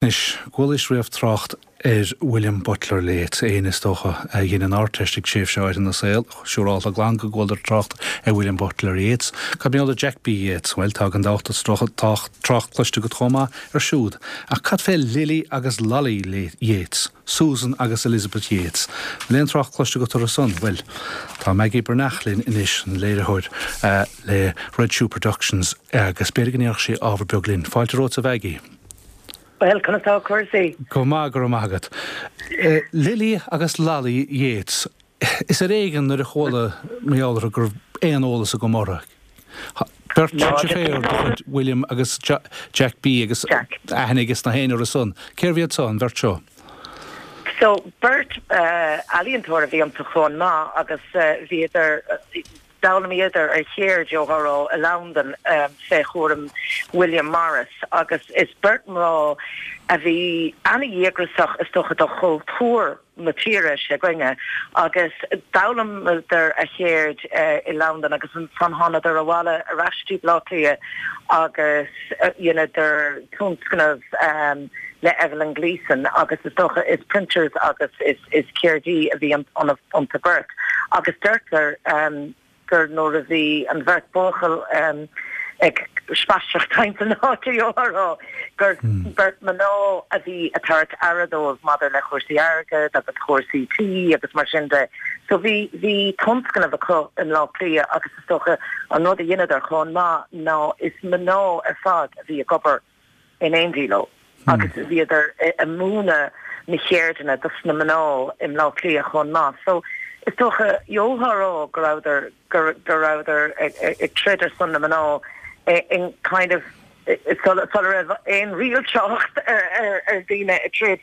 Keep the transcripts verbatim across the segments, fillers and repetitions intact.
Anois, chualaís riamh trácht ar William Butler Yeats, éinne is dócha a dhein an Ardteist ag tréimhse áirithe ina saol, siúrálta glan go bhfuil trácht ar William Butler Yeats. Cad mar gheall ar Jack B. Yeats, well tá gan dabht trácht cloiste agat chomh maith air siúd. Ach cad fé Lily agus Lolly Yeats, Susan agus Elizabeth Yeats. Bhfuil aon trácht cloiste agat orthu san, well tá Maggie Breathnach linn anois an léiritheoir uh, le Red Shoe Productions agus b'fhéidir go ndéarfadh sí ábhar beag linn. Fáilte romhat a Mhaggie. Well conas tá cúrsaí. Go maith go maith agat. Uh, Lily agus Lolly Yeats. Is ar éigean nuair a chuala mé go raibh aon eolas agam orthu. Beirt féar chuid William agus Jack B agus aithne agus na héine san. Cérbh iad san bheirt seo? So beirt uh, ealaíontóir a bhí iontu chomh maith agus uh, bhíodar d'fhoghlaimíodar a cheird gheofá i Londain um, fé chúram William Morris agus is beirt mná a bhí an-díograiseach is dócha do chultúr na tíre s'againne agus d'fhoghlaimíodar a cheird uh, i Londain agus ansan thánadar abhaile ar ais go Baile Átha Cliath agus uh, dheineadar tionscnamh um, le Evelyn Gleeson agus is dócha is printers agus is is ceardaí a bhí an an an bheirt agus deirtear um, gur nuair a bhí an bheirt buachaill um, ag spaisteoireacht timpeall na háite gur hmm. beirt mná a bhí ag tabhairt aire dóibh maidir le chúrsaí airgid agus chúrsaí tí agus mar sin de. So bhí bhí tionscnamh acu i mBaile Átha Cliath agus is dócha an rud a dheineadar chomh maith ná is mná ar fad a bhí ag obair in éindí leo. Hmm. agus bhíodar ag múineadh na ceirdeanna dos na mná i mBaile Átha Cliath chomh maith. So is dócha gheofá go rabhadar go rabhadar ag troid ar son na mná in kind of sula raibh aon riailteacht ar ar daoine ag troid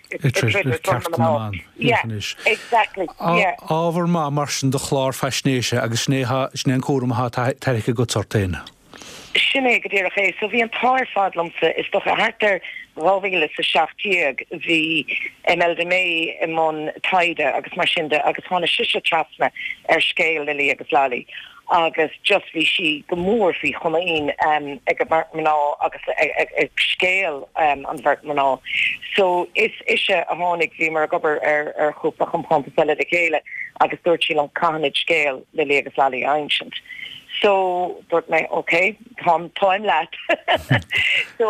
exactly Ábhar maith mar sin do chlár faisnéise agus sin é an cúram atá tarraingthe agat ort féin. Sin é go díreach é, so bhí an t-ádh ar fad liomsa is dócha thart ar dhá mhíle is a seacht déag bhí Imelda May i mbun taighde agus mar sin de agus tháinig sise trasna ar scéal Lily agus Lolly. agus just bhí sí go mór faoi chomaoin um, ag an mbeirt mná agus ag, ag scéal um, an bheirt mná. So is ise a tháinig bhí mar ag obair ar ar chúpla compántas eile le chéile agus dúirt sí liom caithfimid scéal Lily agus Lolly a insint. So dúirt mé okay táim táim leat so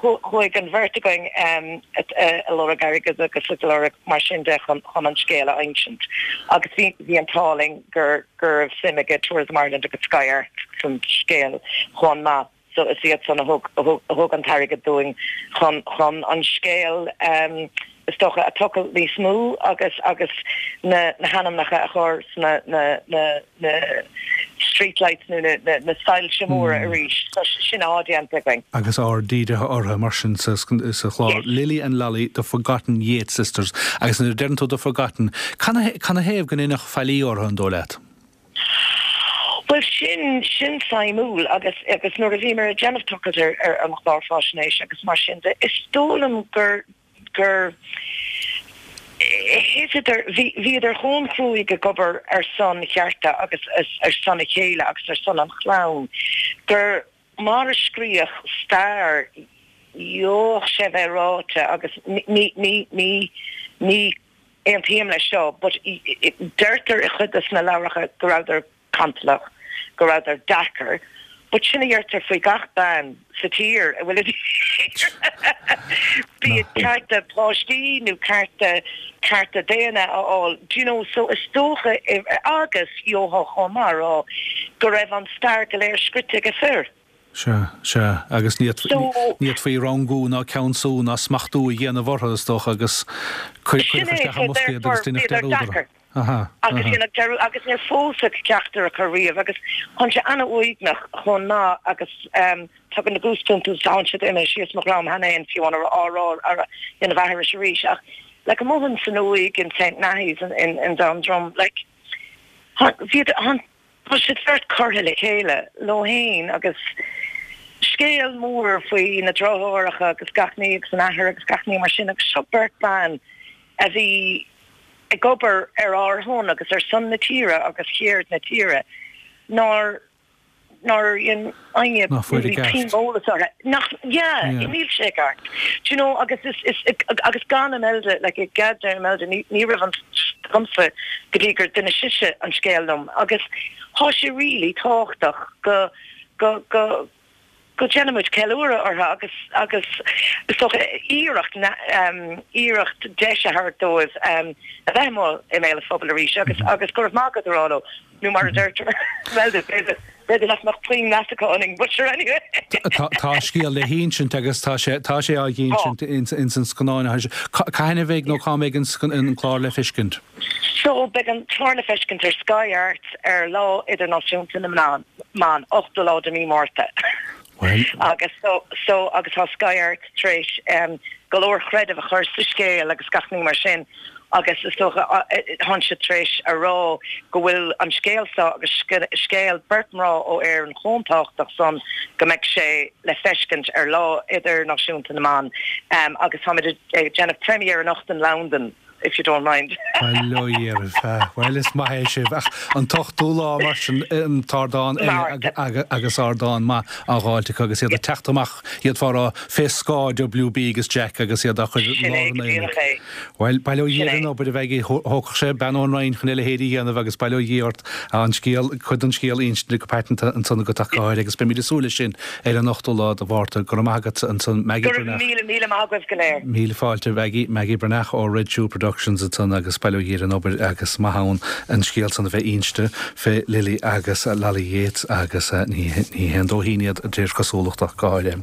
chuaigh an bheirt againn um, ag lorg airgid agus ag lorg mar sin de chun chun an scéal a insint. Agus bhí bhí an t-ádh linn gur gur suim ag Tourism Ireland agus Sky Arts san scéal chomh maith. So is iad san a thug thug an t-airgead dúinn chun chun an scéal um, is dócha a tochailt níos mó agus agus na na hainmneacha a chur na na na na streetlights nó na na, na soilse móra mm. arís so sin atá déanta againn. Agus aird dírithe orthu mar sin sa sa chlár Lily and Lolly the Forgotten Yeats Sisters agus nuair a deireann tú the Forgotten can can a thaobh go ndéanadh faillí orthu an dóigh leat. Well sin sin suimiúil agus agus nuair a bhí mé ag déanamh tochailt ar ar an chlár faisnéis agus mar sin de is dóigh liom gur gur bhíodar bhíodar chomh cruaidh ag obair ar son chearta agus ar son a chéile agus ar son an chlann gur mar a scríodh stair gheobhadh sé bheith ráite agus ní ní ní ní aontaím leis seo, but deirtear i chuid de na leabhracha go rabhadar cantalach, go rabhadar deacair, but sin a dheirtear faoi gach bean sa tír a bhfuil bí cearta páistí nó cearta cearta daonna a fháil do you know so is dócha agus gheofá chomh maith rá go raibh an stair go léir scríte ag fir. Sea sea agus ní fhéadfaí rangú ná ceansú ná smachtú a dhéanamh orthu is dócha agus agus agus agus níor phósadh ceachtar acu riamh agus tá sé an-uaigneach chomh maith agus um, tagann na goosebumps tá siad imithe síos mo dhroim cheana féin fiú an á rá ar ina bhethris arís ach like amuigh san uaigh in St Nathy's in, in, in Dundrum like bhí an siad beirt curtha le chéile leo féin agus scéal mór faoi na deartháireacha agus gach ní agus an athair agus gach ní mar sin agus seo beirt ban a bhí ag obair ar ár son agus ar son na tíre agus cheird na tíre nár nár dhein éinne puinn eolas orthu. Nach, yeah, níl sé ceart. Do you know, agus is, is, agus gan Imelda, like, gan Imelda, ní, ní raibh an agamsa go dtí gur d'inis sise an scéal liom. Agus tá sé really tábhachtach go, go, go, go ndéanaimid ceiliúradh orthu agus agus is dócha iarracht iarracht deis a thabhairt dóibh a bheith amuigh i mbéal an phobail arís agus agus go raibh maith agat a rá leo nó mar a deirtear b'fhéidir b'fhéidir nach mbeadh puinn meas acu orainn but sure anyway. Tá scéal le hinsint agus tá sé tá sé á insint ins an scannán. Cathain a bheidh nó cá mbeidh an clár le feiscint? So beidh an clár le feiscint ar Sky Arts ar Lá Idirnáisiúnta na mBan, ochtú lá de mí Márta. Agus so so agus tá Sky Arts tar éis um, go leor creideamh a chur sa scéal agus gach ní mar sin agus is dócha tá siad tar éis a rá go bhfuil an scéal seo agus scéal beirt mná ó Éirinn chomh tábhachtach san go mbeidh sé le feiscint ar Lá Idirnáisiúnta na mBan um, agus táimid ag déanamh premiere anocht in Londain. If you don't mind. Well is maith sibh ach an t-ochtú lá mar sin an t-ardán agus ardán maith á dháileadh agus iad ag teacht amach iad fá fé scáth W B agus Jack agus iad a chur Well bail ó Dhia ar an obair a bheidh thógfadh sé bean ón Rinn chun a leithéid a dhéanamh agus bail ó Dhia ort an scéal cuid den scéal inste go paiteanta ansan agat ach go háirithe agus beimid ag súil leis sin ar an ochtú lá de Mhárta. Go raibh maith agat ansan Maggie Breathnach. Míle míle maith agaibh go léir. Míle fáilte Maggie Maggie Breathnach ó Red Shoe Productions ansan agus bail ó Dhia ar an obair agus maith ann an scéal san a bheith inste fé Lily agus Lolly Yeats agus ní ní haon dóithín iad de réir cosúlachta go háirithe.